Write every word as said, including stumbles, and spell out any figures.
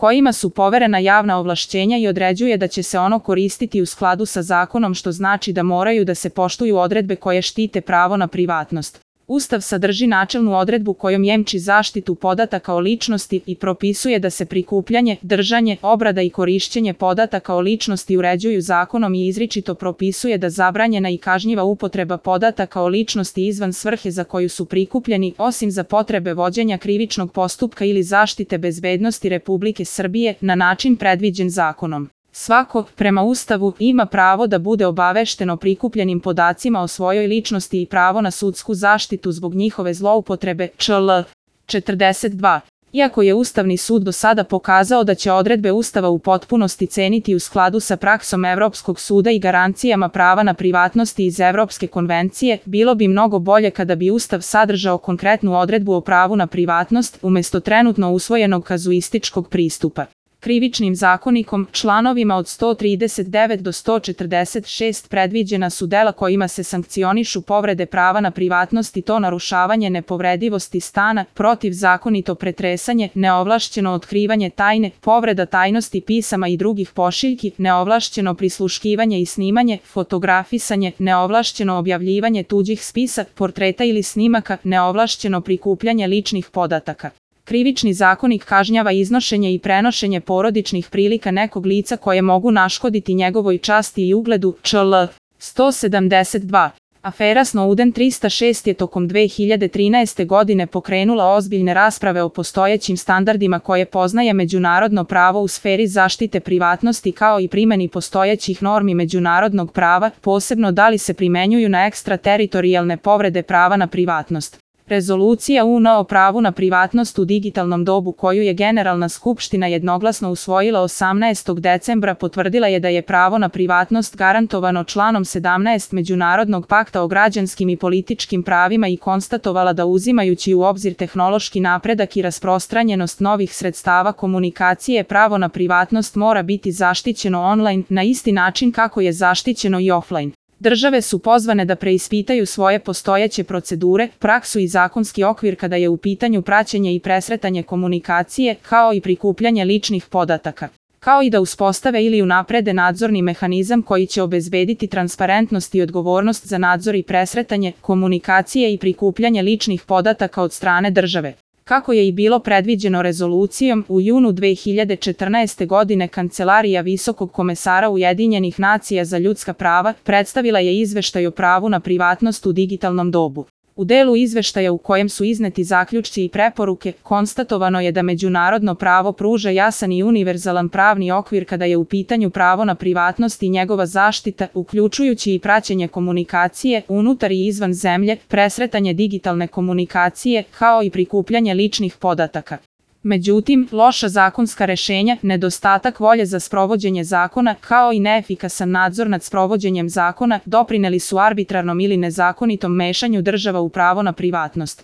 kojima su poverena javna ovlašćenja i određuje da će se ono koristiti u skladu sa zakonom, što znači da moraju da se poštuju odredbe koje štite pravo na privatnost. Ustav sadrži načelnu odredbu kojom jemči zaštitu podataka o ličnosti i propisuje da se prikupljanje, držanje, obrada i korišćenje podataka o ličnosti uređuju zakonom i izričito propisuje da zabranjena i kažnjiva upotreba podataka o ličnosti izvan svrhe za koju su prikupljeni, osim za potrebe vođenja krivičnog postupka ili zaštite bezbednosti Republike Srbije, na način predviđen zakonom. Svako, prema Ustavu, ima pravo da bude obavešten o prikupljenim podacima o svojoj ličnosti i pravo na sudsku zaštitu zbog njihove zloupotrebe, čl. četrdeset dva. Iako je Ustavni sud do sada pokazao da će odredbe Ustava u potpunosti ceniti u skladu sa praksom Evropskog suda i garancijama prava na privatnosti iz Evropske konvencije, bilo bi mnogo bolje kada bi Ustav sadržao konkretnu odredbu o pravu na privatnost, umesto trenutno usvojenog kazuističkog pristupa. Krivičnim zakonikom, članovima od sto trideset devet do sto četrdeset šest predviđena su dela kojima se sankcionišu povrede prava na privatnost i to narušavanje nepovredivosti stana, protivzakonito pretresanje, neovlašćeno otkrivanje tajne, povreda tajnosti pisama i drugih pošiljki, neovlašćeno prisluškivanje i snimanje, fotografisanje, neovlašćeno objavljivanje tuđih spisa, portreta ili snimaka, neovlašćeno prikupljanje ličnih podataka. Krivični zakonik kažnjava iznošenje i prenošenje porodičnih prilika nekog lica koje mogu naškoditi njegovoj časti i ugledu, čl. sto sedamdeset dva. Afera Snowden trista šest je tokom dve hiljade trinaeste. godine pokrenula ozbiljne rasprave o postojećim standardima koje poznaje međunarodno pravo u sferi zaštite privatnosti kao i primjeni postojećih normi međunarodnog prava, posebno da li se primenjuju na ekstrateritorijalne povrede prava na privatnost. Rezolucija U N o pravu na privatnost u digitalnom dobu koju je Generalna skupština jednoglasno usvojila osamnaestog decembra potvrdila je da je pravo na privatnost garantovano članom sedamnaest Međunarodnog pakta o građanskim i političkim pravima i konstatovala da uzimajući u obzir tehnološki napredak i rasprostranjenost novih sredstava komunikacije, pravo na privatnost mora biti zaštićeno online na isti način kako je zaštićeno i offline. Države su pozvane da preispitaju svoje postojeće procedure, praksu i zakonski okvir kada je u pitanju praćenje i presretanje komunikacije, kao i prikupljanje ličnih podataka, kao i da uspostave ili unaprede nadzorni mehanizam koji će obezbediti transparentnost i odgovornost za nadzor i presretanje komunikacije i prikupljanje ličnih podataka od strane države. Kako je i bilo predviđeno rezolucijom, u junu dve hiljade četrnaeste. godine Kancelarija Visokog komesara Ujedinjenih nacija za ljudska prava predstavila je izveštaj o pravu na privatnost u digitalnom dobu. U delu izveštaja u kojem su izneti zaključci i preporuke, konstatovano je da međunarodno pravo pruža jasan i univerzalan pravni okvir kada je u pitanju pravo na privatnost i njegova zaštita, uključujući i praćenje komunikacije unutar i izvan zemlje, presretanje digitalne komunikacije, kao i prikupljanje ličnih podataka. Međutim, loša zakonska rešenja, nedostatak volje za sprovođenje zakona, kao i neefikasan nadzor nad sprovođenjem zakona, doprineli su arbitrarnom ili nezakonitom mešanju država u pravo na privatnost.